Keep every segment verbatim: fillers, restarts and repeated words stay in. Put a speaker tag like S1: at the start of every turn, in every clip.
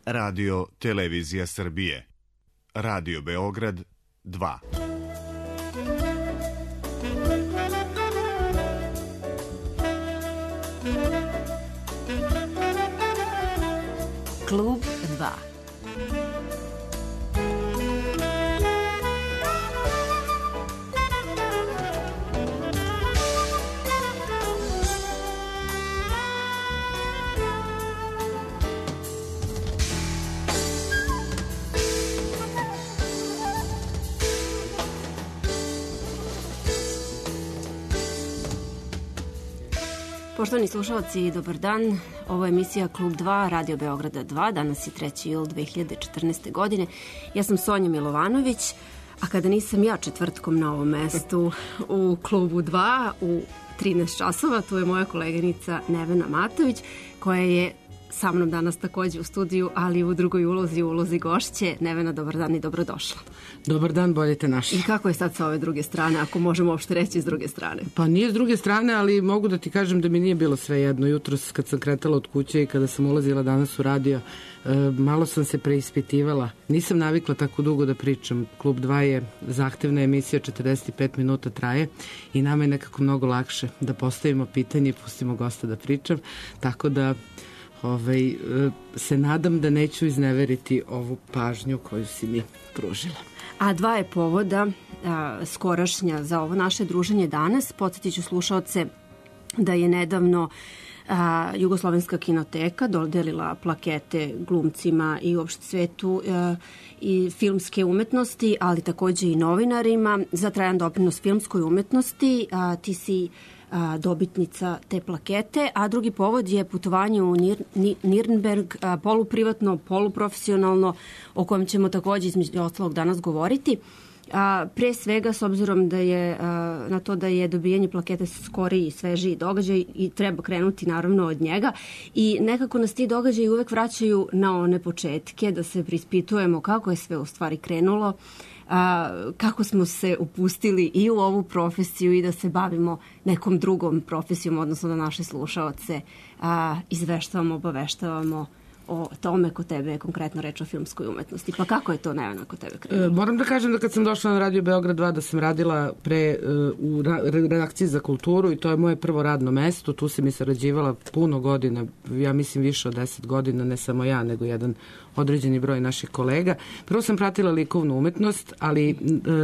S1: Radio Televizija Srbije. Radio Beograd dva.
S2: Klub dva. Poštovani slušalci, dobar dan. Ovo je emisija Klub dva, Radio Beograda dva. Danas je treći jul dve hiljade četrnaeste. godine. Ja sam Sonja Milovanović, a kada nisam ja četvrtkom na ovom mestu u Klubu dva u trinaest časova, tu je moja koleginica Nevena Matović, koja je sa mnom danas takođe u studiju, ali u drugoj ulozi, u ulozi gošće. Nevena, dobar dan i dobrodošla.
S3: Dobar dan, bolje te našli.
S2: I kako je sad sa ove druge strane, ako možemo uopšte reći s druge strane?
S3: Pa nije s druge strane, ali mogu da ti kažem da mi nije bilo sve jedno. Jutros kad sam kretala od kuće i kada sam ulazila danas u radio, malo sam se preispitivala. Nisam navikla tako dugo da pričam. Klub dva je zahtevna emisija, četrdeset pet minuta traje i nama je nekako mnogo lakše da postavimo pitanje i pustimo gosta da pričam. Tako da Ovaj, se nadam da neću izneveriti ovu pažnju koju si mi pružila.
S2: A dva je povoda a, skorašnja za ovo naše druženje danas. Podsjetit ću slušaoce da je nedavno a, Jugoslovenska kinoteka dodelila plakete glumcima i uopšte svetu a, i filmske umetnosti, ali takođe i novinarima za trajan doprinos filmskoj umetnosti. A, ti si dobitnica te plakete, a drugi povod je putovanje u Nir, Nirnberg, poluprivatno, poluprofesionalno, o kojem ćemo takođe između ostalog danas govoriti. A, pre svega, s obzirom da je a, na to da je dobijanje plakete skoriji i svežiji događaj i treba krenuti naravno od njega i nekako nas ti događaji uvek vraćaju na one početke, da se prispitujemo kako je sve u stvari krenulo, a, kako smo se upustili i u ovu profesiju i da se bavimo nekom drugom profesijom, odnosno da naše slušaoce a, izveštavamo, obaveštavamo o tome kod tebe je konkretno reč o filmskoj umetnosti. Pa kako je to, Nevena, kod tebe krenulo?
S3: E, moram da kažem da kad sam došla na Radio Beograd dva da sam radila pre uh, u redakciji za kulturu i to je moje prvo radno mesto. Tu sam i sarađivala puno godina, ja mislim više od deset godina, ne samo ja, nego jedan određeni broj naših kolega. Prvo sam pratila likovnu umetnost, ali uh,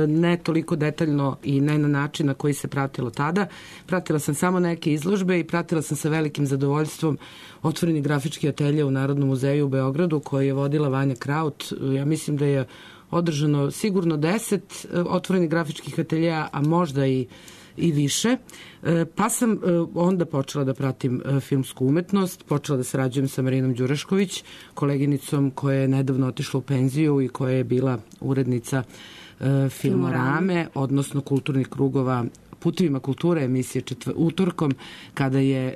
S3: ne toliko detaljno i ne na način na koji se pratilo tada. Pratila sam samo neke izložbe i pratila sam sa velikim zadovoljstvom otvoreni grafički atelje u Narodnom muzeju u Beogradu koji je vodila Vanja Kraut. Ja mislim da je održano sigurno deset otvorenih grafičkih ateljeja, a možda i, i više. Pa sam onda počela da pratim filmsku umetnost, počela da sarađujem sa Marinom Đurašković, koleginicom koja je nedavno otišla u penziju i koja je bila urednica Filmorame, odnosno kulturnih krugova Putovima kulture, emisije četvr... utorkom, kada je,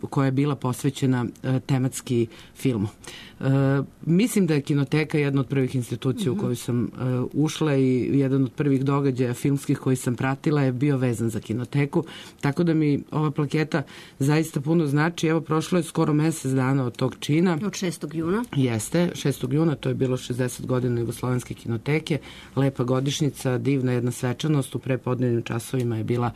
S3: koja je bila posvećena tematski filmu. Mislim da je kinoteka jedna od prvih institucija u koju sam ušla i jedan od prvih događaja filmskih koji sam pratila je bio vezan za kinoteku, tako da mi ova plaketa zaista puno znači. Evo, prošlo je skoro mesec dana od tog čina.
S2: Od šestog juna?
S3: Jeste, šestog juna, to je bilo šezdeset godina Jugoslovenske kinoteke, lepa godišnjica, divna jedna svečanost, u prepodnevnim časovima je bila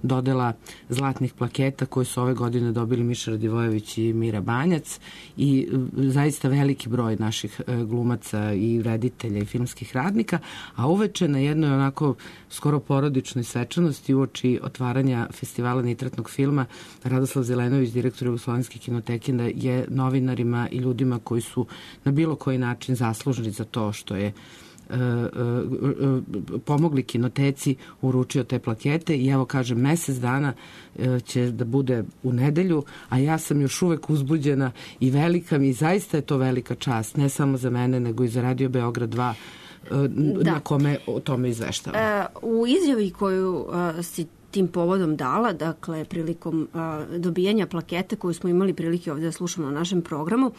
S3: dodela zlatnih plaketa koje su ove godine dobili Miša Radivojević i Mira Banjac i zaista veliki broj naših glumaca i reditelja i filmskih radnika, a uveče na jednoj onako skoro porodičnoj svečanosti uoči otvaranja festivala nitratnog filma Radoslav Zelenović, direktor Jugoslovenske kinoteke, je novinarima i ljudima koji su na bilo koji način zaslužni za to što je pomogli kinoteci, uručio te plakete i evo kažem, mesec dana će da bude u nedelju, a ja sam još uvek uzbuđena i velika mi, zaista je to velika čast, ne samo za mene, nego i za Radio Beograd dva, da. Na kome o tome izveštavam. E,
S2: u izjavi koju a, si tim povodom dala, dakle prilikom a, dobijanja plakete koju smo imali prilike ovde da slušamo na našem programu,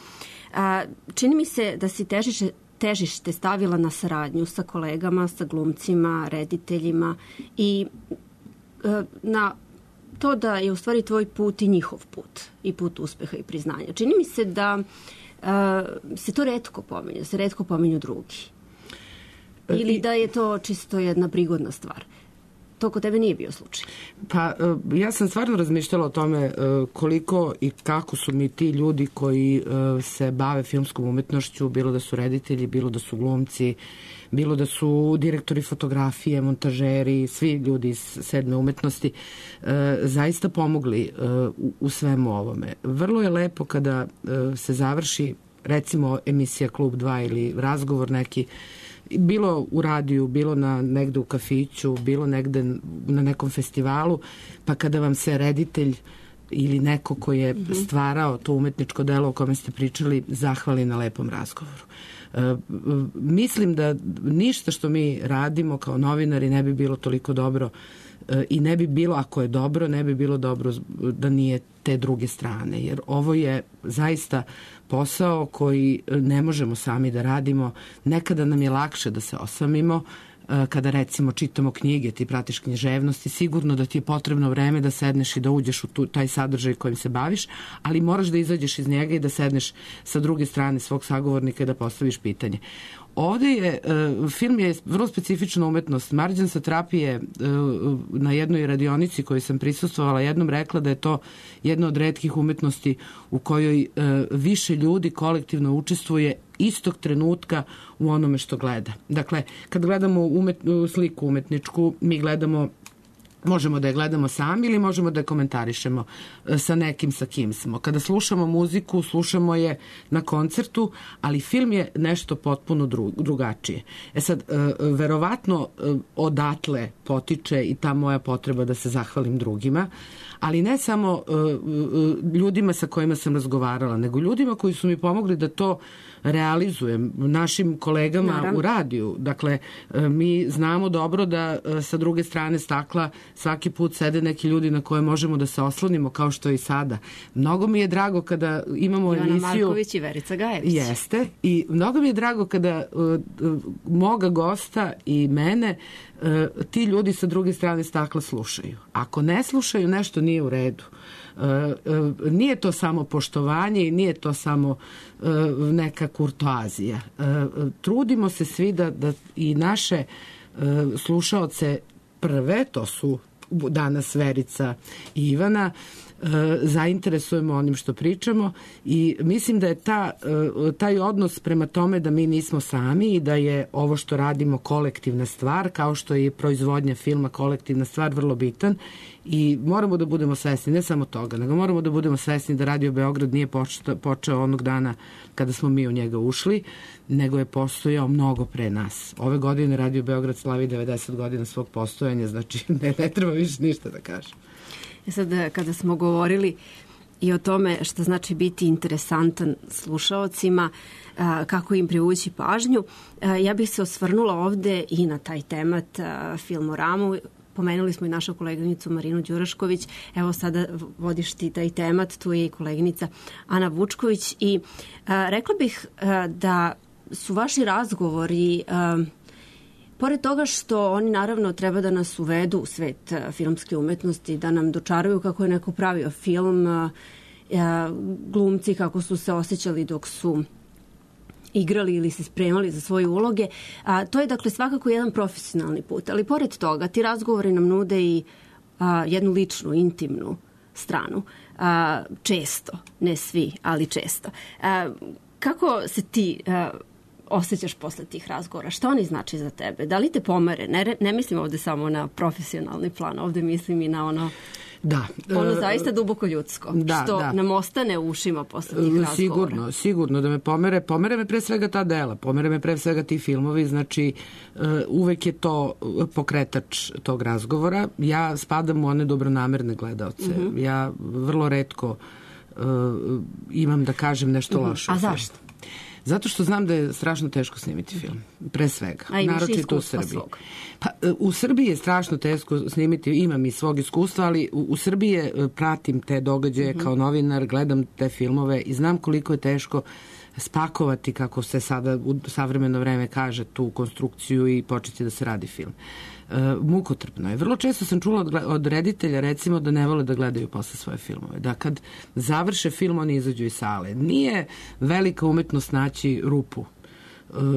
S2: a, čini mi se da si težiše težište stavila na saradnju sa kolegama, sa glumcima, rediteljima i e, na to da je u stvari tvoj put i njihov put i put uspeha i priznanja. Čini mi se da se to retko pominje, se retko pominju drugi. Ili da je to čisto jedna prigodna stvar. To kod tebe nije bio slučaj.
S3: Pa ja sam stvarno razmišljala o tome koliko i kako su mi ti ljudi koji se bave filmskom umetnošću, bilo da su reditelji, bilo da su glumci, bilo da su direktori fotografije, montažeri, svi ljudi iz sedme umetnosti, zaista pomogli u svemu ovome. Vrlo je lepo kada se završi, recimo, emisija Klub dva ili razgovor neki, bilo u radiju, bilo na negde u kafiću, bilo negde na nekom festivalu, pa kada vam se reditelj ili neko ko je stvarao to umetničko delo o kome ste pričali zahvali na lepom razgovoru. E, mislim da ništa što mi radimo kao novinari ne bi bilo toliko dobro e, i ne bi bilo, ako je dobro, ne bi bilo dobro da nije te druge strane, jer ovo je zaista posao koji ne možemo sami da radimo. Nekada nam je lakše da se osamimo, kada recimo čitamo knjige, ti pratiš književnosti, sigurno da ti je potrebno vreme da sedneš i da uđeš u tu, taj sadržaj kojim se baviš, ali moraš da izađeš iz njega i da sedneš sa druge strane svog sagovornika i da postaviš pitanje. Ovde je, film je vrlo specifična umetnost. Marđan Satrapi je na jednoj radionici koju sam prisustvovala jednom rekla da je to jedna od retkih umetnosti u kojoj više ljudi kolektivno učestvuje istog trenutka u onome što gleda. Dakle, kad gledamo umet, sliku umetničku, mi gledamo, možemo da je gledamo sami ili možemo da je komentarišemo sa nekim sa kim smo. Kada slušamo muziku, slušamo je na koncertu, ali film je nešto potpuno drugačije. E sad, verovatno odatle potiče i ta moja potreba da se zahvalim drugima, ali ne samo ljudima sa kojima sam razgovarala, nego ljudima koji su mi pomogli da to realizujem, našim kolegama Naravno. U radiju. Dakle, mi znamo dobro da sa druge strane stakla svaki put sede neki ljudi na koje možemo da se oslonimo, kao što je i sada. Mnogo mi je drago kada imamo
S2: Ivana
S3: emisiju...
S2: Ivana Marković i Verica Gajević.
S3: Jeste. I mnogo mi je drago kada uh, uh, moga gosta i mene uh, ti ljudi sa druge strane stakla slušaju. Ako ne slušaju, nešto nije u redu. Uh, uh, nije to samo poštovanje i nije to samo uh, neka kurtoazija. Uh, trudimo se svi da, da i naše uh, slušaoce prve, to su danas Verica i Ivana, zainteresujemo onim što pričamo i mislim da je ta, taj odnos prema tome da mi nismo sami i da je ovo što radimo kolektivna stvar, kao što je proizvodnja filma kolektivna stvar, vrlo bitan i moramo da budemo svesni, ne samo toga, nego moramo da budemo svesni da Radio Beograd nije počeo, počeo onog dana kada smo mi u njega ušli, nego je postojao mnogo pre nas. Ove godine Radio Beograd slavi devedeset godina svog postojanja, znači ne, ne treba više ništa da kažem.
S2: E sad, kada smo govorili i o tome što znači biti interesantan slušaocima, kako im privući pažnju, ja bih se osvrnula ovde i na taj temat Filmoramu. Pomenuli smo i našu koleginicu Marinu Đurašković, evo sada vodiš ti taj temat, tu je i koleginica Ana Vučković i rekla bih da su vaši razgovori... Pored toga što oni naravno treba da nas uvedu u svet filmske umetnosti, da nam dočaruju kako je neko pravio film, glumci kako su se osjećali dok su igrali ili se spremali za svoje uloge. A, to je dakle svakako jedan profesionalni put, ali pored toga ti razgovori nam nude i a, jednu ličnu, intimnu stranu. A, često, ne svi, ali često. A, kako se ti... A, osjećaš posle tih razgovora? Šta oni znači za tebe? Da li te pomere? Ne, ne mislim ovde samo na profesionalni plan, ovde mislim i na ono
S3: Da.
S2: Ono zaista duboko ljudsko,
S3: da,
S2: što
S3: da.
S2: nam ostane u ušima posle tih razgovora.
S3: Sigurno, sigurno da me pomere. Pomere me pre svega ta dela, pomere me pre svega ti filmovi, znači uvek je to pokretač tog razgovora. Ja spadam u one dobronamerne gledaoce. Uh-huh. Ja vrlo retko uh, imam da kažem nešto uh-huh. loše.
S2: A zašto?
S3: Zato što znam da je strašno teško snimiti film, pre svega.
S2: A imaš iskustva svog?
S3: Pa, u Srbiji je strašno teško snimiti, imam i svog iskustva, ali u, u Srbiji pratim te događaje mm-hmm. kao novinar, gledam te filmove i znam koliko je teško spakovati, kako se sada u savremeno vreme kaže, tu konstrukciju i početi da se radi film. E, mukotrpno je. Vrlo često sam čula od, od reditelja, recimo, da ne vole da gledaju posle svoje filmove. Da kad završe film, oni izađu iz sale. Nije velika umetnost naći rupu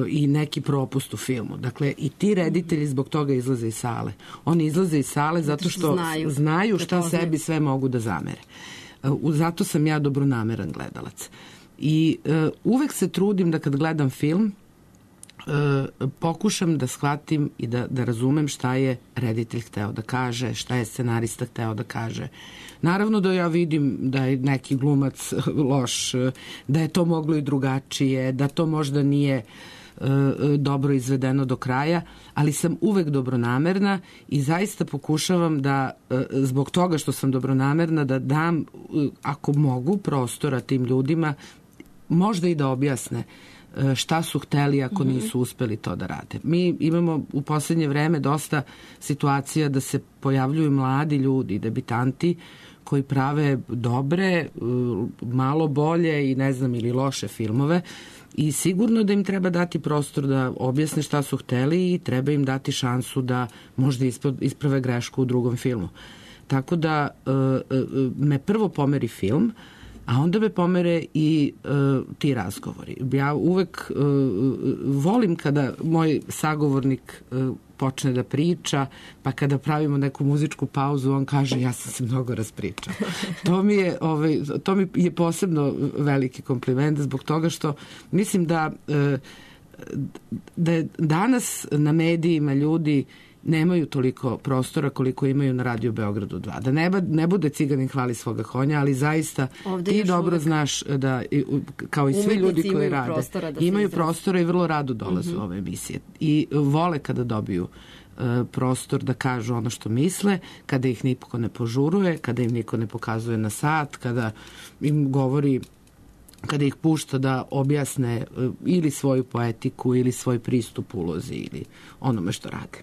S3: i neki propust u filmu. Dakle, i ti reditelji zbog toga izlaze iz sale. Oni izlaze iz sale zato što znaju, znaju šta sebi sve mogu da zamere. Zato sam ja dobronameran gledalac. I uh, uvek se trudim da kad gledam film uh, pokušam da shvatim i da, da razumem šta je reditelj hteo da kaže, šta je scenarista hteo da kaže. Naravno da ja vidim da je neki glumac loš, da je to moglo i drugačije, da to možda nije uh, dobro izvedeno do kraja, ali sam uvek dobronamerna i zaista pokušavam da, uh, zbog toga što sam dobronamerna, da dam, uh, ako mogu, prostora tim ljudima, možda i da objasne šta su hteli ako nisu uspeli to da rade. Mi imamo u poslednje vreme dosta situacija da se pojavljuju mladi ljudi, debitanti, koji prave dobre, malo bolje i ne znam, ili loše filmove i sigurno da im treba dati prostor da objasne šta su hteli i treba im dati šansu da možda isprave grešku u drugom filmu. Tako da me prvo pomeri film, a onda me pomere i uh, ti razgovori. Ja uvek uh, volim kada moj sagovornik uh, počne da priča, pa kada pravimo neku muzičku pauzu, on kaže ja sam se mnogo raspričao. To mi je, ovaj, to mi je posebno veliki kompliment zbog toga što mislim da, uh, da je danas na medijima ljudi nemaju toliko prostora koliko imaju na Radio Beogradu dva. Da ne, ne bude ciganin hvali svoga konja, ali zaista ovde ti dobro uvek znaš da, kao i svi ljudi koji rade, imaju prostora i vrlo rado dolaze uh-huh. u ove emisije. I vole kada dobiju uh, prostor da kažu ono što misle, kada ih niko ne požuruje, kada im niko ne pokazuje na sat, kada im govori, kada ih pušta da objasne ili svoju poetiku ili svoj pristup ulozi ili onome što rade.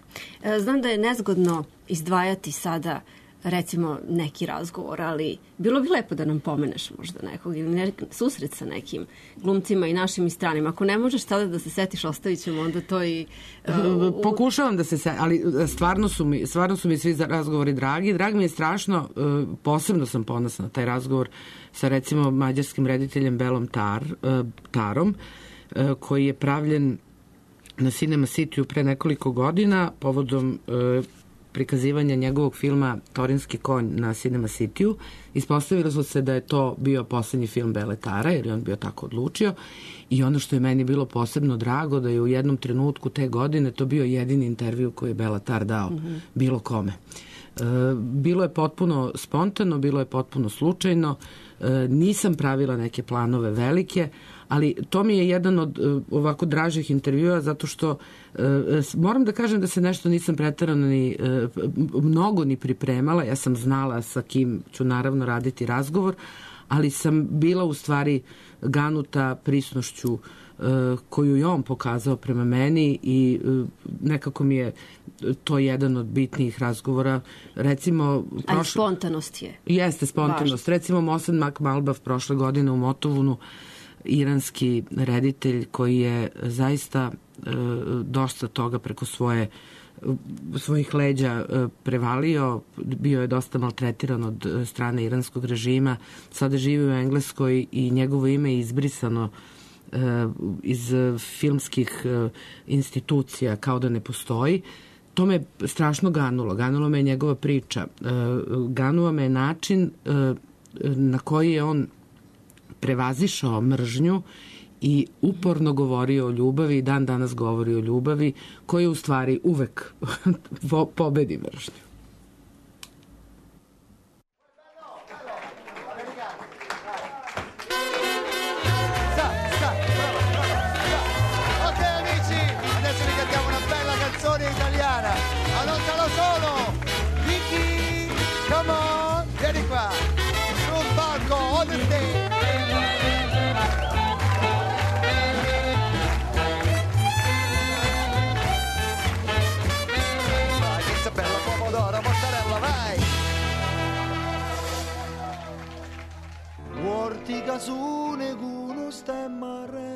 S2: Znam da je nezgodno izdvajati sada recimo neki razgovor, ali bilo bi lepo da nam pomeneš možda nekog ili ne, susret sa nekim glumcima i našim i stranim. Ako ne možeš sada da se setiš, ostavit ćemo onda to i... Uh,
S3: Pokušavam da se setiš, ali stvarno su, mi, stvarno su mi svi razgovori dragi. Drag mi je strašno, uh, posebno sam ponosna na taj razgovor sa recimo mađarskim rediteljem Belom Tar, uh, Tarom, uh, koji je pravljen na Cinema Cityu pre nekoliko godina povodom uh, prikazivanja njegovog filma Torinski konj na Cinema Cityu. Ispostavilo se da je to bio poslednji film Bele Tara, jer je on bio tako odlučio. I ono što je meni bilo posebno drago, da je u jednom trenutku te godine to bio jedini intervju koji je Bela Tar dao mm-hmm. bilo kome. E, bilo je potpuno spontano, bilo je potpuno slučajno. E, nisam pravila neke planove velike, ali to mi je jedan od uh, ovako dražih intervjua zato što uh, moram da kažem da se nešto nisam preterano ni uh, mnogo ni pripremala. Ja sam znala sa kim ću naravno raditi razgovor, ali sam bila u stvari ganuta prisnošću uh, koju je on pokazao prema meni i uh, nekako mi je to jedan od bitnijih razgovora. Recimo,
S2: prošle... Ali spontanost je.
S3: Jeste spontanost. Važno. Recimo Mohsen Makmalbaf prošle godine u Motovunu, iranski reditelj koji je zaista e, dosta toga preko svoje svojih leđa e, prevalio, bio je dosta maltretiran od strane iranskog režima, sada živi u Engleskoj i njegovo ime je izbrisano e, iz filmskih e, institucija kao da ne postoji. To me strašno ganulo. Ganulo me je njegova priča. E, ganuo me je način e, na koji je on prevazišao mržnju i uporno govorio o ljubavi i dan danas govori o ljubavi koja u stvari uvek pobedi mržnju.
S4: Ortica su neguno stemma re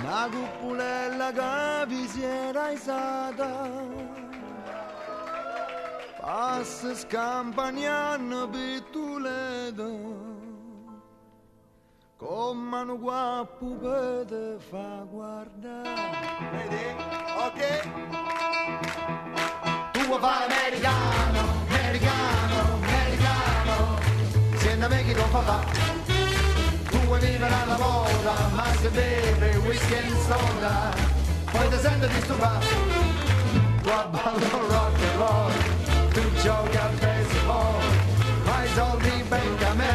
S4: una cupulella che vi si era isata, passa scampagnando per Toledo, con mano qua pupete fa guardare. Vedi? Ok? Tu vuoi fare americano, americano, americano, senta me che non fa fa. Tu vuoi vivere alla moda, ma se beve whisky e soda, poi ti senti disturbato. Tu ballo rock and roll, tu giochi a baseball, ma i soldi becca a me.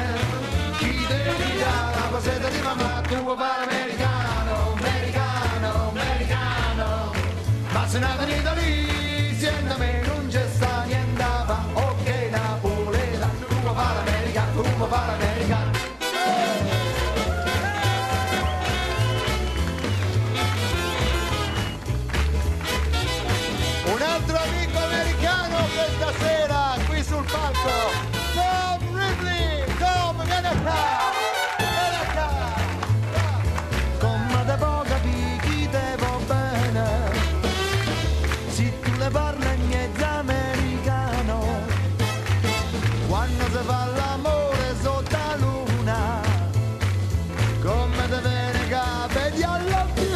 S4: Chi devi dare la poseta di mamma? Tu vuoi fare americano, americano, americano, ma se non venite lì, sienta me non c'è sta niente a fa. Ok Napoleta, tu vuoi fare americano, tu vuoi fare americano. Un altro amico americano questa sera qui sul palco, Tom Ridley, Tom, vieni qua, vieni qua. Come te può capire chi te va bene, se tu le parli in mezzo americano, quando si fa l'amore sotto la luna, come te viene capiti alla più.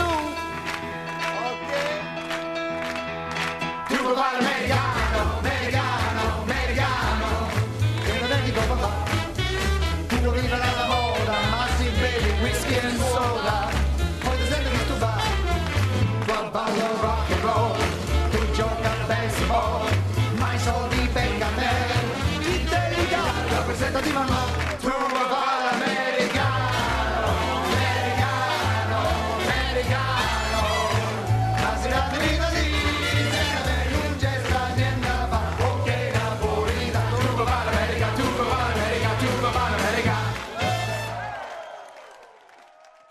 S4: Tu vuoi fare americano, americano, americano, che non è di come fa. Tu vuoi vivere alla moda, ma si bevi whisky e soda, poi ti senti disturbato. Tu ballo rock and roll, tu giochi a baseball, ma i soldi becca a me. Chi te li dà? Rappresenta di mamma. Tu vuoi fare americano, americano, americano, ma si dà di vita lì.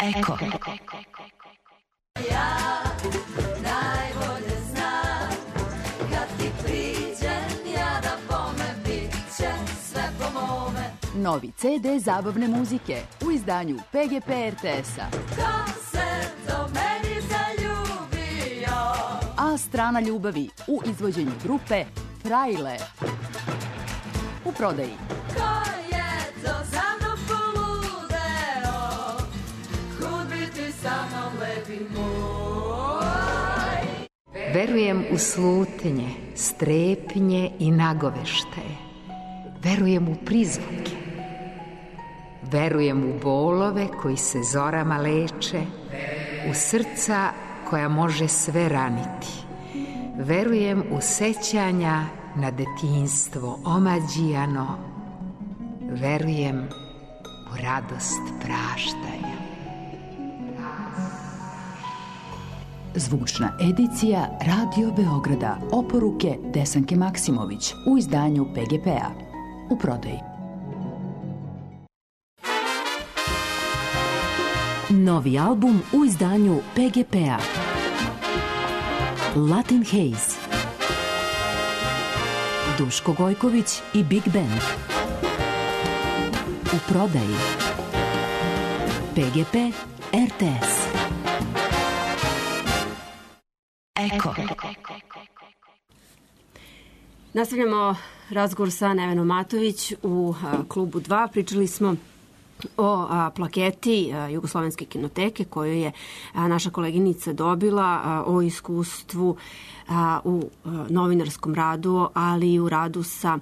S5: Eko.
S6: Ja najbolje znam kad ti priđem ja da bome bit će sve po mome.
S5: Novi ce de zabavne muzike u izdanju pe ge pe er te es-a.
S6: Ko se do meni zaljubio?
S5: A strana ljubavi u izvođenju grupe Frajle. U prodaji.
S6: Ko je to za mnom poludeo? Kud bi ti sa mnom lepi moj?
S7: Verujem u slutnje, strepnje i nagoveštaje. Verujem u prizvuke. Verujem u bolove koji se zorama leče, u srca koja može sve raniti. Verujem u sećanja na detinjstvo omađijano. Verujem u radost praštanja.
S5: Zvučna edicija Radio Beograda. Oporuke Desanke Maksimović u izdanju pe ge pe-a. U prodaji. Novi album u izdanju pe ge pe-a. Latin Haze. Duško Gojković i Big Band. U prodaji. pe ge pe er te es. Eko.
S2: Nastavljamo razgovor sa Nevenom Matović u a, klubu dva. Pričali smo o a, plaketi a, Jugoslovenske kinoteke koju je a, naša koleginica dobila, a, o iskustvu a, u a, novinarskom radu, ali i u radu sa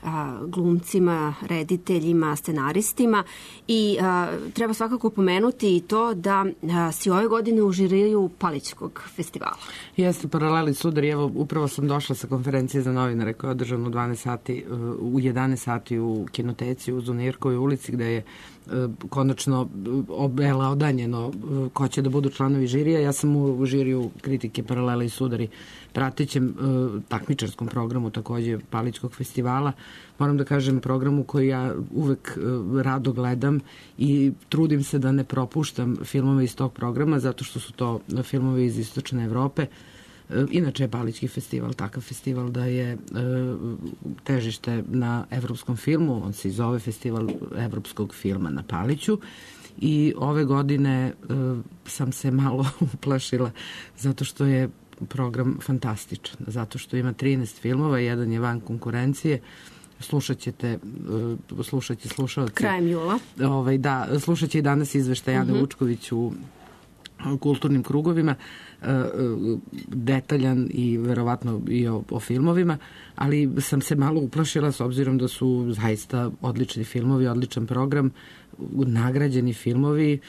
S2: a, glumcima, rediteljima, scenaristima i a, treba svakako pomenuti i to da a, si ove godine u žiriju Palićkog festivala.
S3: Jeste, Paraleli sudari, evo upravo sam došla sa konferencije za novinare koja je održana u dvanaest sati, u jedanaest sati u kinoteci u Zunirkovoj ulici gde je konačno obelodanjeno ko će da budu članovi žirija. Ja sam u žiriju kritike Paralela i sudari pratećem takmičarskom programu takođe Palićkog festivala. Moram da kažem programu koji ja uvek rado gledam i trudim se da ne propuštam filmove iz tog programa zato što su to filmove iz Istočne Evrope. Inače je Palićki festival takav festival da je e, težište na evropskom filmu, on se i zove Festival evropskog filma na Paliću i ove godine uh, sam se malo uplašila zato što je program fantastičan, zato što ima trinaest filmova, jedan je van konkurencije. Slušat ćete, uh, slušat će slušalci.
S2: Krajem jula.
S3: Ovaj, da, slušat će i danas izveštaj Ane uh-huh. Vučković u kulturnim krugovima, detaljan i verovatno i o, o filmovima, ali sam se malo uplašila s obzirom da su zaista odlični filmovi, odličan program, nagrađeni filmovi,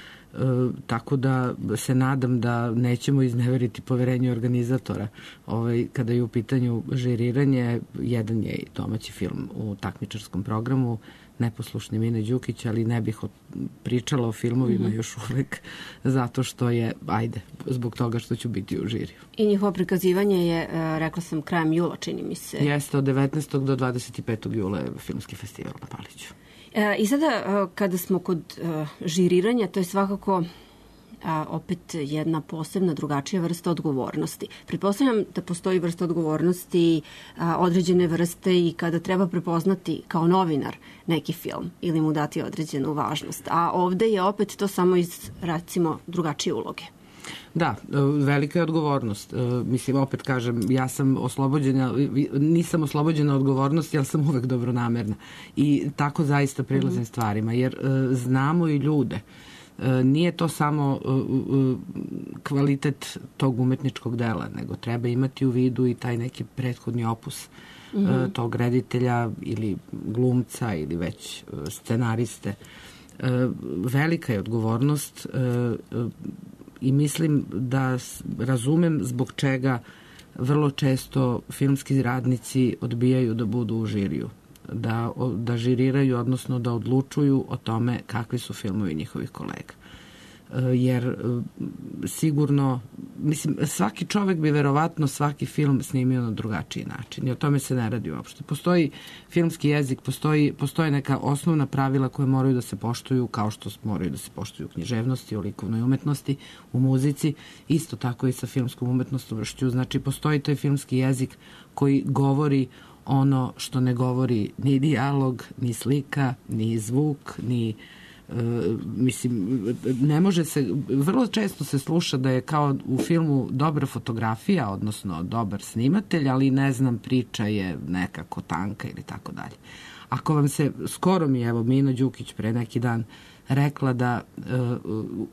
S3: tako da se nadam da nećemo izneveriti poverenje organizatora. Ovaj, kada je u pitanju žiriranje, jedan je domaći film u takmičarskom programu, Neposlušni Mine Đukić, ali ne bih pričala o filmovima mm-hmm. još uvek, zato što je, ajde, zbog toga što ću biti u žiriju.
S2: I njihovo prikazivanje je, rekla sam, krajem jula, čini mi se.
S3: Jeste, od devetnaestog do dvadeset petog jula je filmski festival na Paliću.
S2: E, I sada, kada smo kod uh, žiriranja, to je svakako a, opet jedna posebna, drugačija vrsta odgovornosti. Pretpostavljam da postoji vrsta odgovornosti, a, određene vrste i kada treba prepoznati kao novinar neki film ili mu dati određenu važnost. A ovde je opet to samo iz, recimo, drugačije uloge.
S3: Da, velika je odgovornost. Mislim, opet kažem, ja sam oslobođena, nisam oslobođena odgovornosti, ali sam uvek dobronamerna. I tako zaista prilazim mm-hmm. stvarima, jer znamo i ljude. Nije to samo kvalitet tog umetničkog dela, nego treba imati u vidu i taj neki prethodni opus mm-hmm. tog reditelja ili glumca ili već scenariste. Velika je odgovornost i mislim da razumem zbog čega vrlo često filmski radnici odbijaju da budu u žiriju. Da, da žiriraju, odnosno da odlučuju o tome kakvi su filmovi njihovih kolega. Jer sigurno, mislim, svaki čovek bi verovatno svaki film snimio na drugačiji način i o tome se ne radi uopšte. Postoji filmski jezik, postoji, postoje neka osnovna pravila koje moraju da se poštuju, kao što moraju da se poštuju u književnosti, u likovnoj umetnosti, u muzici, isto tako i sa filmskom umetnošću. Znači, postoji taj filmski jezik koji govori ono što ne govori ni dijalog, ni slika, ni zvuk, ni uh, mislim, ne može se, vrlo često se sluša da je kao u filmu dobra fotografija, odnosno dobar snimatelj, ali ne znam, priča je nekako tanka ili tako dalje. Ako vam se, skoro mi evo Mina Đukić pre neki dan rekla da uh,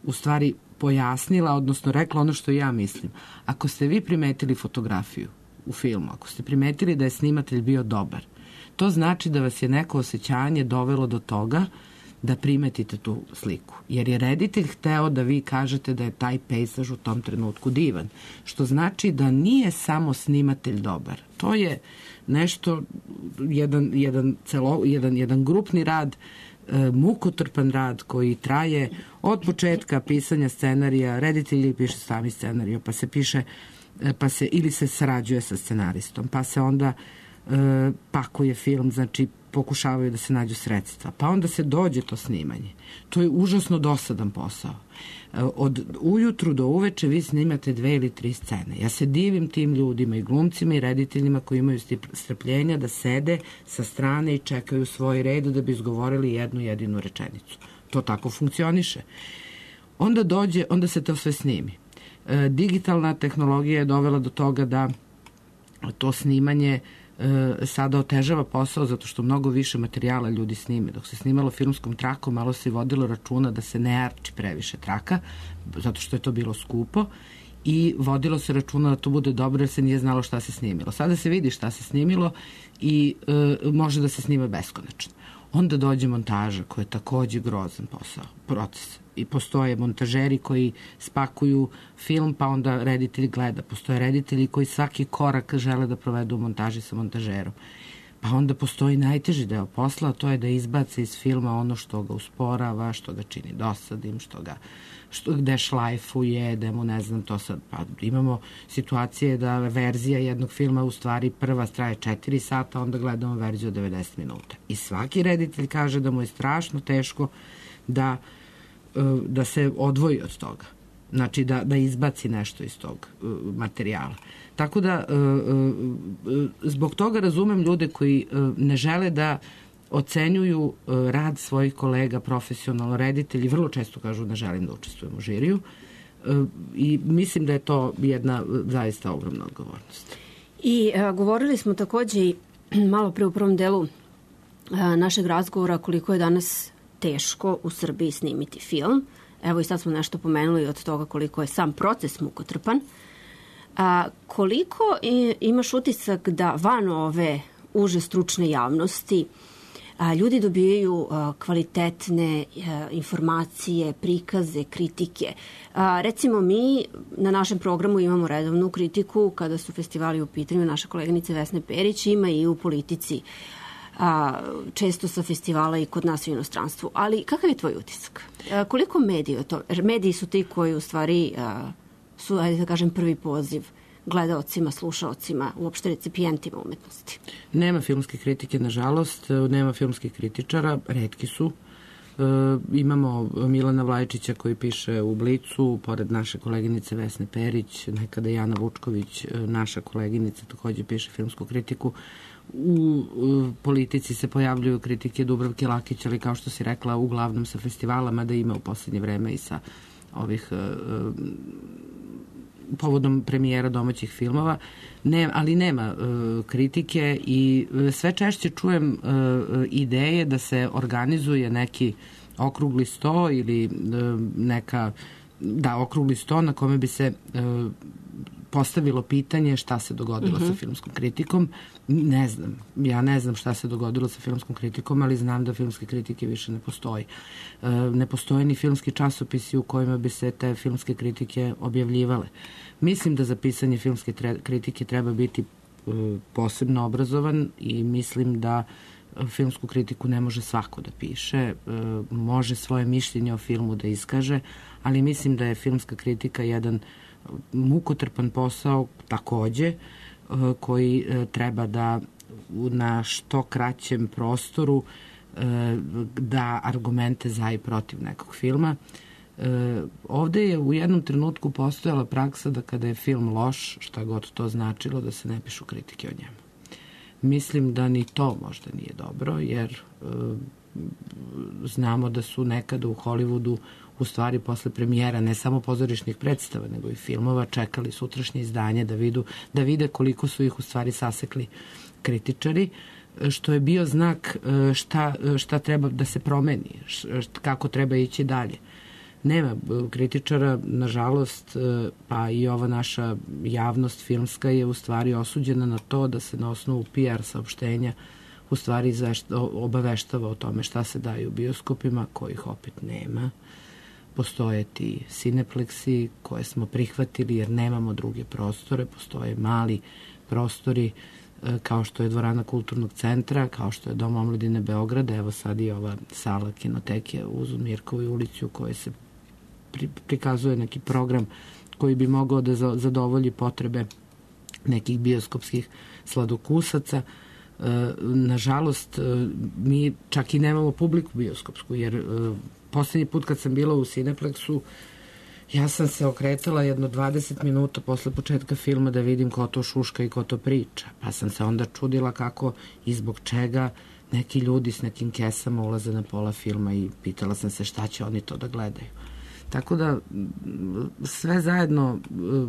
S3: u stvari pojasnila, odnosno rekla ono što ja mislim. Ako ste vi primetili fotografiju u filmu, ako ste primetili da je snimatelj bio dobar, to znači da vas je neko osjećanje dovelo do toga da primetite tu sliku. Jer je reditelj hteo da vi kažete da je taj pejzaž u tom trenutku divan. Što znači da nije samo snimatelj dobar. To je nešto, jedan, jedan, celo, jedan, jedan grupni rad, e, mukotrpan rad koji traje od početka pisanja scenarija, reditelji piše sami scenariju, pa se piše pa se ili se sarađuje sa scenaristom, pa se onda e, pakuje film, znači pokušavaju da se nađu sredstva, pa onda se dođe to snimanje. To je užasno dosadan posao. E, od ujutru do uveče vi snimate dve ili tri scene. Ja se divim tim ljudima i glumcima i rediteljima koji imaju strpljenja da sede sa strane i čekaju svoj red da bi izgovorili jednu jedinu rečenicu. To tako funkcioniše. Onda dođe, onda se to sve snimi. Digitalna tehnologija je dovela do toga da to snimanje e, sada otežava posao zato što mnogo više materijala ljudi snime. Dok se snimalo filmskom trakom, malo se vodilo računa da se ne arči previše traka, zato što je to bilo skupo i vodilo se računa da to bude dobro jer se nije znalo šta se snimilo. Sada se vidi šta se snimilo i e, može da se snima beskonačno. Onda dođe montaža koja je takođe grozan posao, proces. I postoje montažeri koji spakuju film, pa onda reditelj gleda. Postoje reditelji koji svaki korak žele da provedu u montaži sa montažerom. Pa onda postoji najteži deo posla, a to je da izbace iz filma ono što ga usporava, što ga čini dosadim, što ga što, gde šlajfuje, da mu ne znam to sad. Pa imamo situacije da verzija jednog filma u stvari prva traje četiri sata, onda gledamo verziju od devedeset minuta. I svaki reditelj kaže da mu je strašno teško da da se odvoji od toga. Znači da, da izbaci nešto iz tog uh, materijala. Tako da uh, uh, zbog toga razumem ljude koji uh, ne žele da ocenjuju rad svojih kolega, profesionalno reditelji, vrlo često kažu ne želim da učestvujem u žiriju i mislim da je to jedna zaista ogromna odgovornost.
S2: I a, govorili smo takođe i malo pre u prvom delu a, našeg razgovora koliko je danas teško u Srbiji snimiti film. Evo i sad smo nešto pomenuli od toga koliko je sam proces mukotrpan. A, koliko i, imaš utisak da van ove uže stručne javnosti a, ljudi dobijaju a, kvalitetne a, informacije, prikaze, kritike. A, recimo mi na našem programu imamo redovnu kritiku kada su festivali u pitanju, naša koleginica Vesne Perić ima i u politici a, često sa festivala i kod nas u inostranstvu. Ali kakav je tvoj utisak? A, koliko mediji o to? Mediji su ti koji u stvari a, su, ajde da kažem, prvi poziv gledaocima, slušaocima, uopšte recipijentima umetnosti.
S3: Nema filmske kritike, nažalost, nema filmskih kritičara, retki su. E, imamo Milana Vlajčića koji piše u Blicu, pored naše koleginice Vesne Perić, nekada Jana Vučković, naša koleginica, takođe piše filmsku kritiku. U e, politici se pojavljuju kritike Dubravke Lakić, ali kao što si rekla, uglavnom sa festivala, mada ima u poslednje vreme i sa ovih e, povodom premijera domaćih filmova, ne, ali nema uh, kritike i sve češće čujem uh, ideje da se organizuje neki okrugli sto ili uh, neka, da, okrugli sto na kome bi se uh, postavilo pitanje šta se dogodilo uh-huh. sa filmskom kritikom. Ne znam. Ja ne znam šta se dogodilo sa filmskom kritikom, ali znam da filmske kritike više ne postoji. E, ne postoje ni filmski časopisi u kojima bi se te filmske kritike objavljivale. Mislim da za pisanje filmske tre- kritike treba biti e, posebno obrazovan i mislim da filmsku kritiku ne može svako da piše. E, može svoje mišljenje o filmu da iskaže, ali mislim da je filmska kritika jedan mukotrpan posao takođe koji treba da na što kraćem prostoru da argumente za i protiv nekog filma. Ovde je u jednom trenutku postojala praksa da kada je film loš, šta god to značilo, da se ne pišu kritike o njemu. Mislim da ni to možda nije dobro, jer znamo da su nekada u Hollywoodu u stvari posle premijera ne samo pozorišnih predstava, nego i filmova čekali sutrašnje izdanje da, vidu, da vide koliko su ih u stvari sasekli kritičari, što je bio znak šta, šta treba da se promeni, kako treba ići dalje. Nema kritičara, nažalost, pa i ova naša javnost filmska je u stvari osuđena na to da se na osnovu P R saopštenja u stvari obaveštava o tome šta se daje u bioskopima, kojih opet nema. Postoje ti Cinepleksi koje smo prihvatili jer nemamo druge prostore, postoje mali prostori kao što je dvorana Kulturnog centra, kao što je Dom omladine Beograda, evo sad i ova sala kinoteke uz Mirkovu ulicu u kojoj se pri, prikazuje neki program koji bi mogao da zadovolji potrebe nekih bioskopskih sladokusaca. Nažalost, mi čak i nemamo publiku bioskopsku, jer poslednji put kad sam bila u Cineplexu, ja sam se okretala jedno dvadeset minuta posle početka filma da vidim ko to šuška i ko to priča. Pa sam se onda čudila kako i zbog čega neki ljudi s nekim kesama ulaze na pola filma i pitala sam se šta će oni to da gledaju. Tako da sve zajedno,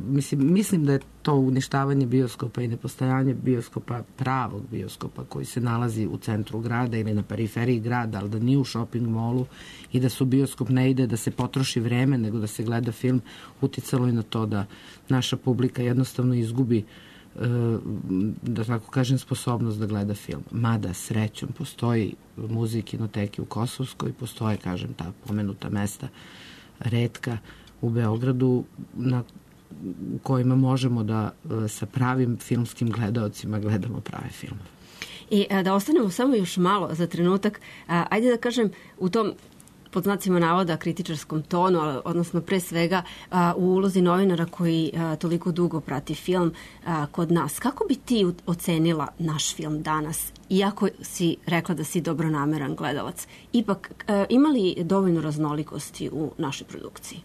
S3: mislim, mislim da je to uništavanje bioskopa i nepostojanje bioskopa, pravog bioskopa koji se nalazi u centru grada ili na periferiji grada, ali da nije u shopping molu i da su bioskop ne ide da se potroši vreme nego da se gleda film, uticalo i na to da naša publika jednostavno izgubi, da tako kažem, sposobnost da gleda film. Mada srećom postoji muzej kinoteke u Kosovskoj, postoje, kažem, ta pomenuta mesta retka u Beogradu na u kojima možemo da sa pravim filmskim gledaocima gledamo prave filmove.
S2: I da ostanemo samo još malo za trenutak, ajde da kažem u tom pod znacima navoda kritičarskom tonu, odnosno pre svega u ulozi novinara koji toliko dugo prati film kod nas. Kako bi ti ocenila naš film danas, iako si rekla da si dobronameran gledalac? Ipak, ima li dovoljno raznolikosti u našoj produkciji?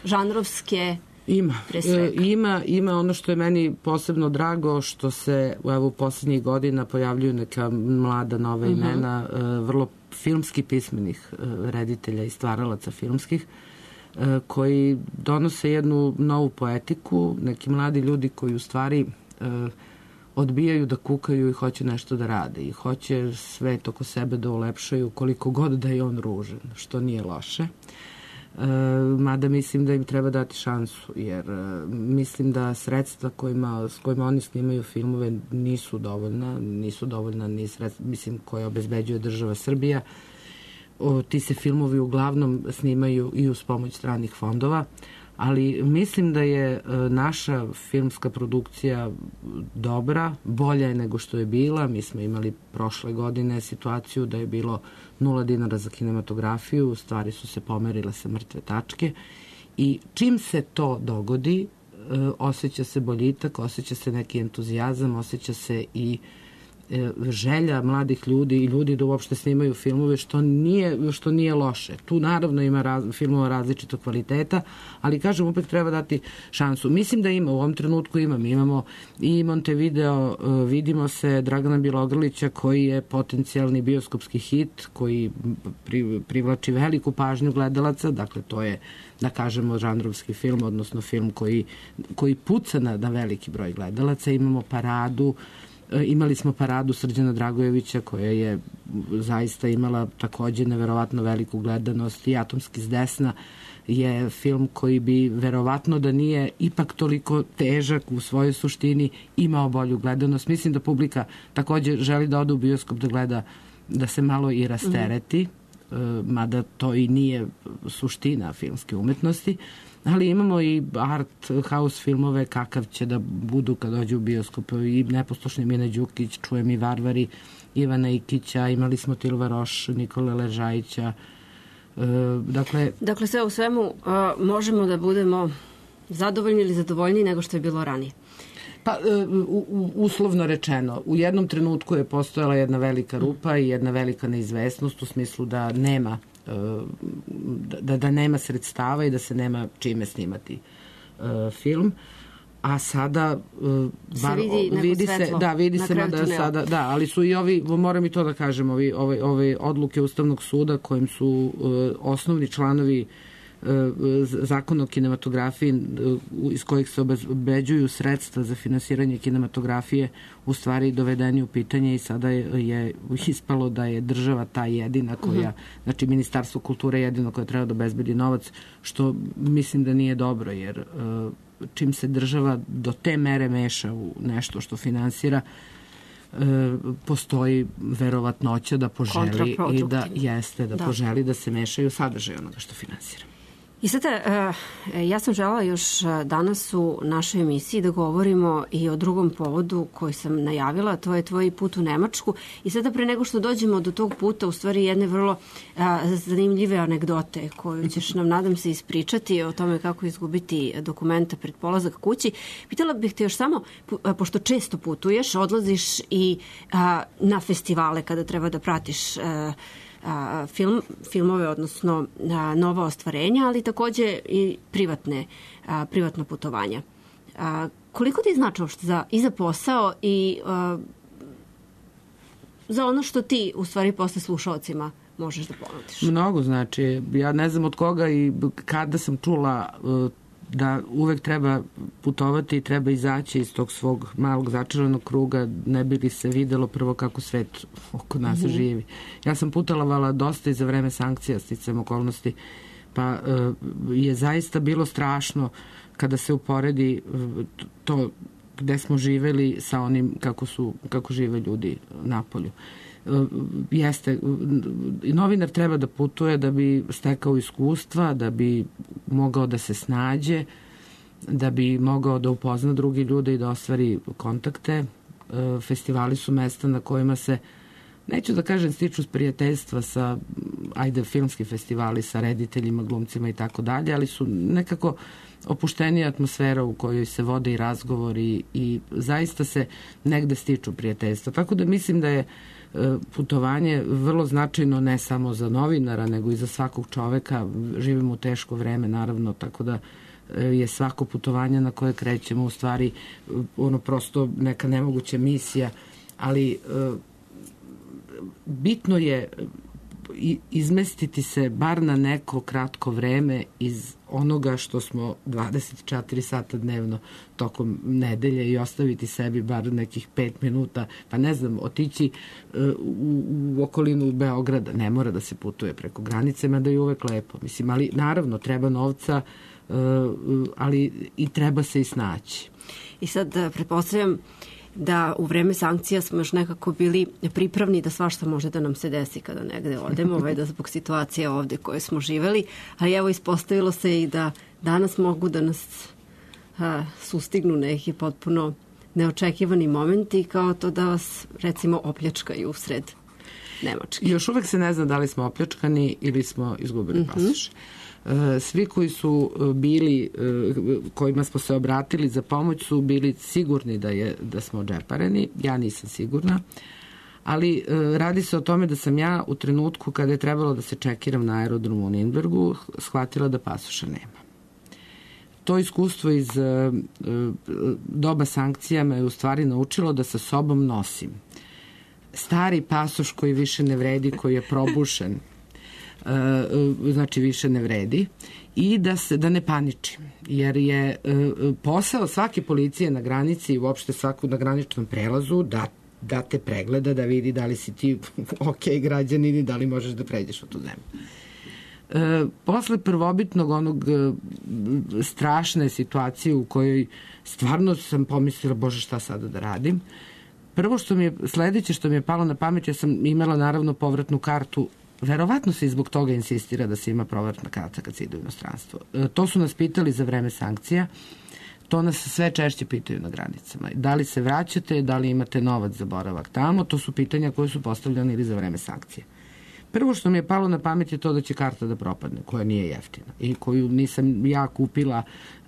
S2: Žanrovske,
S3: Ima,
S2: pre svega.
S3: ima, ima ono što je meni posebno drago, što se evo, u posljednjih godina pojavljuju neka mlada nova
S2: Mhm.
S3: imena, uh, vrlo filmski pismenih uh, reditelja i stvaralaca filmskih, uh, koji donose jednu novu poetiku, neki mladi ljudi koji u stvari uh, odbijaju da kukaju i hoće nešto da rade i hoće svet oko sebe da ulepšaju koliko god da je on ružan, što nije loše. E, mada mislim da im treba dati šansu, jer e, mislim da sredstva kojima, s kojima oni snimaju filmove nisu dovoljna, nisu dovoljna ni sredstva, mislim, koje obezbeđuje država Srbija. O, ti se filmovi uglavnom snimaju i uz pomoć stranih fondova, ali mislim da je e, naša filmska produkcija dobra, bolja je nego što je bila. Mi smo imali prošle godine situaciju da je bilo nula dinara za kinematografiju, stvari su se pomerile sa mrtve tačke i čim se to dogodi, e, osjeća se boljitak, osjeća se neki entuzijazam, osjeća se i želja mladih ljudi i ljudi da uopšte snimaju filmove, što nije, što nije loše. Tu naravno ima raz, filmova različitog kvaliteta, ali kažem, opet treba dati šansu. Mislim da ima, u ovom trenutku ima. Mi imamo i Montevideo, vidimo se Dragana Bjelogrlića koji je potencijalni bioskopski hit, koji pri, privlači veliku pažnju gledalaca, dakle to je, da kažemo, žanrovski film, odnosno film koji, koji puca na, na veliki broj gledalaca. Imamo Paradu, imali smo Paradu Srđana Dragojevića koja je zaista imala takođe neverovatno veliku gledanost i Atomski s desna je film koji bi verovatno da nije ipak toliko težak u svojoj suštini imao bolju gledanost. Mislim da publika takođe želi da ode u bioskop da gleda, da se malo i rastereti, mm. mada to i nije suština filmske umetnosti. Ali imamo i art house filmove kakav će da budu kad dođu u bioskop, i Neposlušni Mine Đukić, Čujem i Varvari, Ivana Ikića, imali smo Tilva Roš, Nikole Ležajića. E, dakle,
S2: dakle, sve u svemu uh, možemo da budemo zadovoljni ili zadovoljniji nego što je bilo ranije.
S3: Pa, u, u, uslovno rečeno, u jednom trenutku je postojala jedna velika rupa i jedna velika neizvesnost u smislu da nema Da, da nema sredstava i da se nema čime snimati uh, film, a sada uh, bar,
S2: se vidi,
S3: vidi se, da, vidi se da sada, da, ali su i ovi, moram i to da kažem, ovi, ove, ove odluke Ustavnog suda kojim su uh, osnovni članovi zakon o kinematografiji iz kojih se obezbeđuju sredstva za finansiranje kinematografije u stvari dovedeni u pitanje i sada je, je ispalo da je država ta jedina koja, uh-huh. znači Ministarstvo kulture jedino koje treba da obezbedi novac, što mislim da nije dobro, jer čim se država do te mere meša u nešto što finansira, postoji verovatnoća da poželi i da jeste, da, da poželi da se mešaju sadržaj onoga što finansira.
S2: I sada, ja sam želela još danas u našoj emisiji da govorimo i o drugom povodu koji sam najavila, to je tvoj put u Nemačku. I sada pre nego što dođemo do tog puta, u stvari jedne vrlo zanimljive anegdote koju ćeš nam, nadam se, ispričati o tome kako izgubiti dokumenta pred polazak kući. Pitala bih te još samo, pošto često putuješ, odlaziš i na festivale kada treba da pratiš A, film, filmove, odnosno a, nova ostvarenja, ali takođe i privatne, a, privatna putovanja. A, koliko ti znači uopšte za, i za posao i a, za ono što ti u stvari posle slušalcima možeš da ponudiš?
S3: Mnogo znači. Ja ne znam od koga i kada sam čula da uvek treba putovati i treba izaći iz tog svog malog začaranog kruga, ne bi li se videlo prvo kako svet oko nas mm-hmm. živi. Ja sam putovala dosta i za vreme sankcija, sticajem okolnosti, pa je zaista bilo strašno kada se uporedi to gde smo živeli sa onim kako su, kako žive ljudi napolju. Jeste, novinar treba da putuje da bi stekao iskustva, da bi mogao da se snađe, da bi mogao da upozna drugi ljude i da ostvari kontakte. Festivali su mesta na kojima se, neću da kažem stiču prijateljstva sa, ajde, filmski festivali sa rediteljima, glumcima i tako dalje, ali su nekako opuštenija atmosfera u kojoj se vode i razgovori i zaista se negde stiču prijateljstva. Tako da mislim da je putovanje vrlo značajno ne samo za novinara, nego i za svakog čoveka. Živimo u teško vreme, naravno, tako da je svako putovanje na koje krećemo u stvari ono prosto neka nemoguća misija, ali bitno je izmestiti se bar na neko kratko vreme iz onoga što smo dvadeset četiri sata dnevno tokom nedelje i ostaviti sebi bar nekih pet minuta, pa ne znam, otići u, u okolinu Beograda. Ne mora da se putuje preko granice, mada je uvek lepo. Mislim, ali naravno treba novca, ali i treba se i snaći.
S2: I sad pretpostavljam da u vreme sankcija smo još nekako bili pripravni da svašta može da nam se desi kada negde odemo, ovaj, da zbog situacije ovde koje smo živeli, ali evo ispostavilo se i da danas mogu da nas a, sustignu neki potpuno neočekivani momenti, kao to da vas recimo opljačkaju usred Nemačke.
S3: Još uvek se ne zna da li smo opljačkani ili smo izgubili mm-hmm. pasoš. Svi koji su bili, kojima smo se obratili za pomoć su bili sigurni da, je, da smo džepareni. Ja nisam sigurna, ali radi se o tome da sam ja u trenutku kada je trebalo da se čekiram na aerodromu u Nürnbergu shvatila da pasoša nema. To iskustvo iz doba sankcija me je u stvari naučilo da sa sobom nosim stari pasoš koji više ne vredi, koji je probušen, znači više ne vredi, i da se da ne paničim, jer je posao svake policije na granici i uopšte svaku na graničnom prelazu da, da te pregleda, da vidi da li si ti ok građanin i da li možeš da pređeš u tu zemlju. E, posle prvobitnog onog e, strašne situacije u kojoj stvarno sam pomislila, bože, šta sada da radim, prvo što mi je, sledeće što mi je palo na pamet, ja sam imala naravno povratnu kartu. Verovatno se i zbog toga insistira da se ima povratna karta kad se ide u inostranstvo. E, to su nas pitali za vreme sankcija, to nas sve češće pitaju na granicama. Da li se vraćate, da li imate novac za boravak tamo, to su pitanja koje su postavljene ili za vreme sankcije. Prvo što mi je palo na pamet je to da će karta da propadne, koja nije jeftina i koju nisam ja kupila,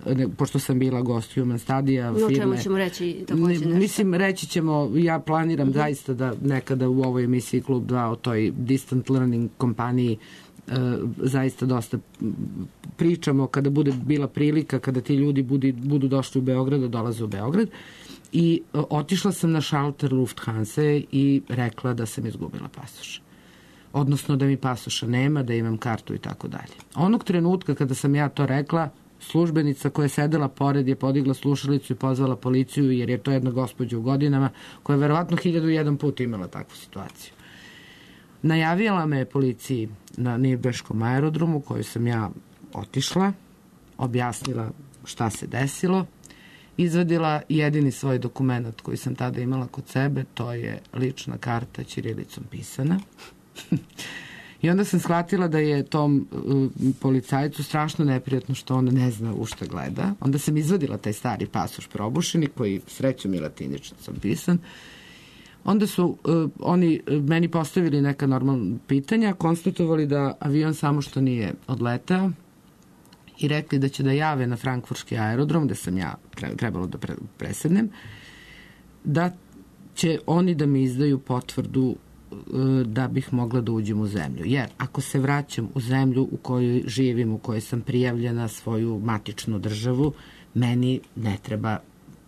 S3: ne, pošto sam bila gost Human Studija
S2: firme.
S3: No,
S2: čemu ćemo reći takođe nešto?
S3: Mislim, reći ćemo, ja planiram uh-huh. zaista da nekada u ovoj emisiji Klub dva o toj distant learning kompaniji e, zaista dosta pričamo kada bude bila prilika, kada ti ljudi budi, budu došli u Beograd, da dolaze u Beograd. I e, otišla sam na šalter Lufthansa i rekla da sam izgubila pasoš. Odnosno da mi pasoša nema, da imam kartu i tako dalje. Onog trenutka kada sam ja to rekla, službenica koja je sedela pored je podigla slušalicu i pozvala policiju, jer je to jedna gospođa u godinama koja je verovatno hiljadu i jedan put imala takvu situaciju. Najavila me policiji na Nürnberškom aerodromu, koju sam ja otišla, objasnila šta se desilo, izvadila jedini svoj dokument koji sam tada imala kod sebe, to je lična karta ćirilicom pisana. I onda sam shvatila da je tom uh, policajcu strašno neprijatno što on ne zna u šta gleda. Onda sam izvadila taj stari pasoš probušeni, koji srećom i latiničnicom pisan. Onda su uh, oni meni postavili neka normalna pitanja, konstatovali da avion samo što nije odletao i rekli da će da jave na frankfurtski aerodrom, gde sam ja trebalo da pre, presednem, da će oni da mi izdaju potvrdu da bih mogla da uđem u zemlju. Jer ako se vraćam u zemlju u kojoj živim, u kojoj sam prijavljena svoju matičnu državu, meni ne treba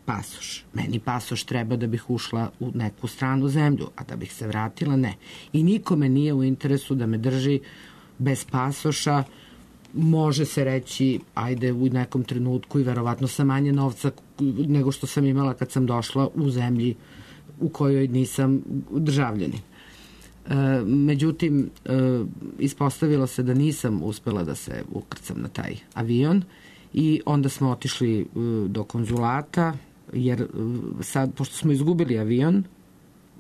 S3: pasoš. Meni pasoš treba da bih ušla u neku stranu zemlju, a da bih se vratila, ne. I nikome nije u interesu da me drži bez pasoša. Može se reći, ajde u nekom trenutku i verovatno sa manje novca nego što sam imala kad sam došla u zemlji u kojoj nisam državljanin. E, međutim, e, ispostavilo se da nisam uspela da se ukrcam na taj avion i onda smo otišli e, do konzulata, jer e, sad, pošto smo izgubili avion,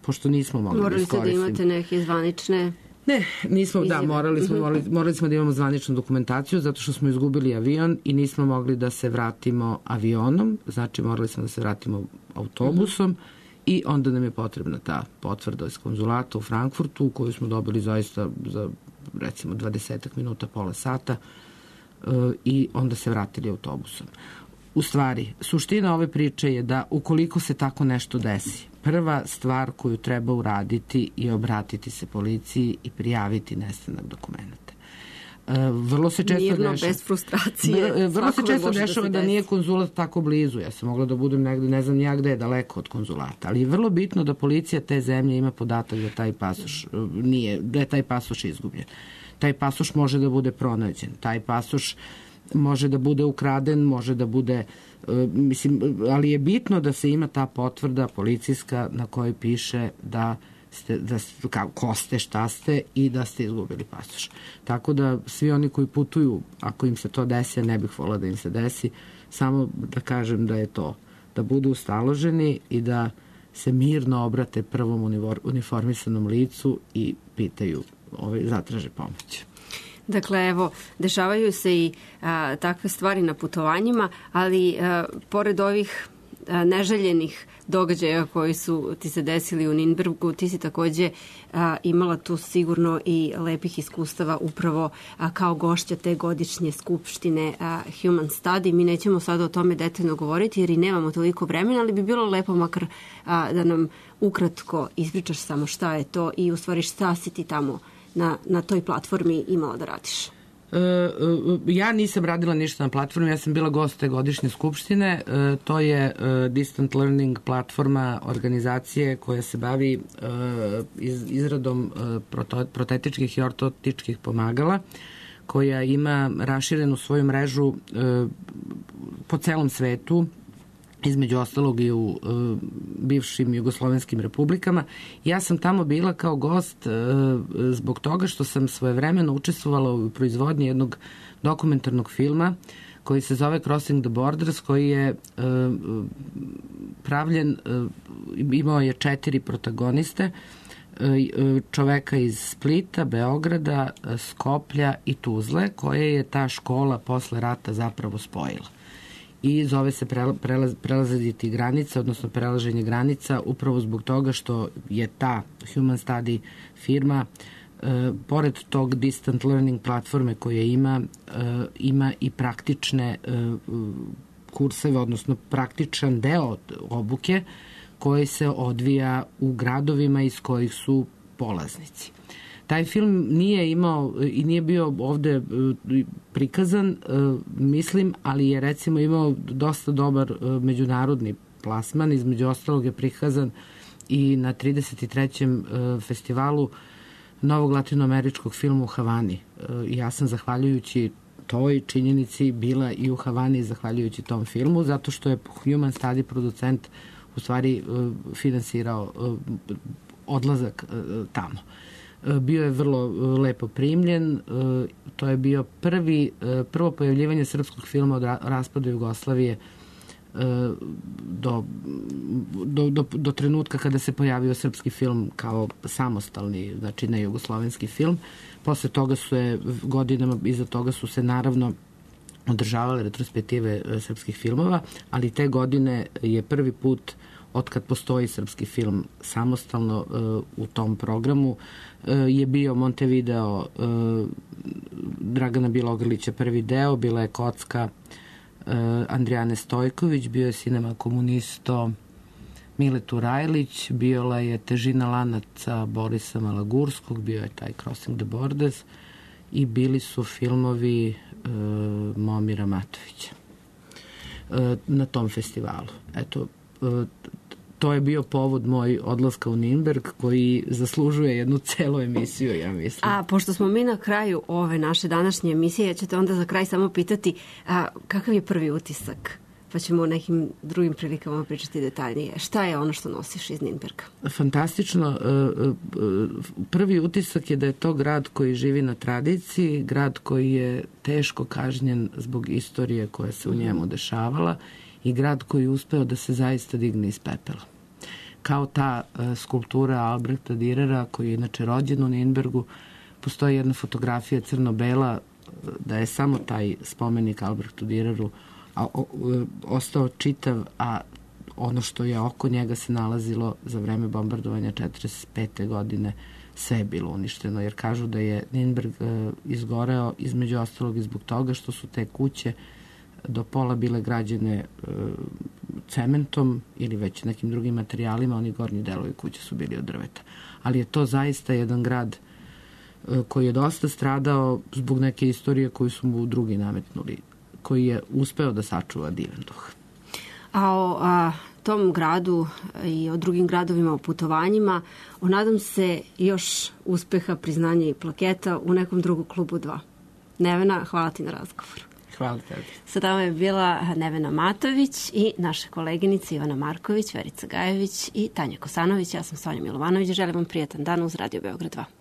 S3: pošto nismo mogli
S2: morali
S3: da iskoristimo.
S2: Morali ste da imate neke zvanične...
S3: Ne, nismo, da, morali smo, morali, morali smo da imamo zvaničnu dokumentaciju zato što smo izgubili avion i nismo mogli da se vratimo avionom, znači morali smo da se vratimo autobusom. Uh-huh. I onda nam je potrebna ta potvrda iz konzulata u Frankfurtu, koju smo dobili zaista za recimo dvadesetak minuta, pola sata, i onda se vratili autobusom. U stvari, suština ove priče je da ukoliko se tako nešto desi, prva stvar koju treba uraditi je obratiti se policiji i prijaviti nestanak dokumenta. Vrlo se često
S2: mirno,
S3: dešava.
S2: bez frustracije.
S3: Vrlo se često dešava da,
S2: da
S3: nije konzulat tako blizu. Ja sam mogla da budem negde, ne znam ja gde je, daleko od konzulata. Ali je vrlo bitno da policija te zemlje ima podatak da taj pasoš nije, da je taj pasoš izgubljen. Taj pasoš može da bude pronađen. Taj pasoš može da bude ukraden, može da bude, mislim, ali je bitno da se ima ta potvrda policijska na kojoj piše da ste, da ste, kao, ko ste, šta ste i da ste izgubili pasoš. Tako da svi oni koji putuju, ako im se to desi, ne bih volila da im se desi, samo da kažem da je to, da budu ustaloženi i da se mirno obrate prvom uniformisanom licu i pitaju, ovaj, zatraže pomoć.
S2: Dakle, evo, dešavaju se i a, takve stvari na putovanjima, ali a, pored ovih a, neželjenih događaja koji su ti se desili u Ninbergu, ti si takođe a, imala tu sigurno i lepih iskustava upravo a, kao gošća te godišnje skupštine a, Human Study. Mi nećemo sada o tome detaljno govoriti jer i nemamo toliko vremena, ali bi bilo lepo makar a, da nam ukratko ispričaš samo šta je to i u stvari šta si ti tamo na, na toj platformi imala da radiš.
S3: E, ja nisam radila ništa na platformi, ja sam bila gost te godišnje skupštine. E, to je e, Distant Learning platforma organizacije koja se bavi e, iz, izradom e, proto, protetičkih i ortotičkih pomagala, koja ima raširenu svoju mrežu e, po celom svetu, između ostalog i u e, bivšim jugoslovenskim republikama. Ja sam tamo bila kao gost e, zbog toga što sam svojevremeno učestvovala u proizvodnji jednog dokumentarnog filma koji se zove Crossing the Borders, koji je e, pravljen, e, imao je četiri protagoniste, e, čoveka iz Splita, Beograda, Skoplja i Tuzle, koje je ta škola posle rata zapravo spojila. I zove se prelaz, prelaziti granica, odnosno prelaženje granica, upravo zbog toga što je ta Human Study firma, e, pored tog Distant Learning platforme koje ima, e, ima i praktične e, kurseve, odnosno praktičan deo obuke koji se odvija u gradovima iz kojih su polaznici. Taj film nije imao i nije bio ovde prikazan, mislim, ali je recimo imao dosta dobar međunarodni plasman. Između ostalog je prikazan i na trideset trećem festivalu novog latinoameričkog filma u Havani. Ja sam zahvaljujući toj činjenici bila i u Havani zahvaljujući tom filmu, zato što je Human Study producent u stvari finansirao odlazak tamo. Bio je vrlo lepo primljen, to je bio prvi, prvo pojavljivanje srpskog filma od raspada Jugoslavije do, do, do, do trenutka kada se pojavio srpski film kao samostalni, znači ne jugoslovenski film. Posle toga su je, godinama iza toga su se naravno održavale retrospektive srpskih filmova, ali te godine je prvi put otkad postoji srpski film samostalno uh, u tom programu uh, je bio Montevideo uh, Dragana Bilogrlića prvi deo, bila je Kocka uh, Andrijane Stojković, bio je Cinema Komunisto Mile Turajlić, bila je Težina lanaca Borisa Malagurskog, bio je taj Crossing the Borders i bili su filmovi uh, Momira Matovića uh, na tom festivalu. Eto, uh, to je bio povod moj odlaska u Ninberg koji zaslužuje jednu celu emisiju, ja mislim.
S2: A pošto smo mi na kraju ove naše današnje emisije, ja ću te onda za kraj samo pitati a, kakav je prvi utisak? Pa ćemo o nekim drugim prilikama pričati detaljnije. Šta je ono što nosiš iz Ninberga?
S3: Fantastično. Prvi utisak je da je to grad koji živi na tradiciji, grad koji je teško kažnjen zbog istorije koja se u njemu dešavala i grad koji je uspeo da se zaista digne iz pepela. Kao ta uh, skulptura Albrehta Dürera, koji je inače rođen u Ninbergu, postoji jedna fotografija crno-bela da je samo taj spomenik Albrehtu Düreru a, o, o, ostao čitav, a ono što je oko njega se nalazilo za vreme bombardovanja četrdeset pete godine sve je bilo uništeno, jer kažu da je Ninberg uh, izgoreo između ostalog i zbog toga što su te kuće do pola bile građene e, cementom ili već nekim drugim materijalima, oni gornji delovi kuće su bili od drveta. Ali je to zaista jedan grad koji je dosta stradao zbog neke istorije koju su mu drugi nametnuli, koji je uspeo da sačuva divan duh.
S2: A o a, tom gradu i o drugim gradovima, o putovanjima, o nadam se još uspeha, priznanja i plaketa u nekom drugom klubu dva. Nevena, hvala ti na razgovoru.
S3: Hvala tebi.
S2: Sa nama je bila Nevena Matović i naše koleginice Ivana Marković, Verica Gajević i Tanja Kosanović. Ja sam Sonja Milovanović. Želim vam prijetan dan uz Radio Beograd dva.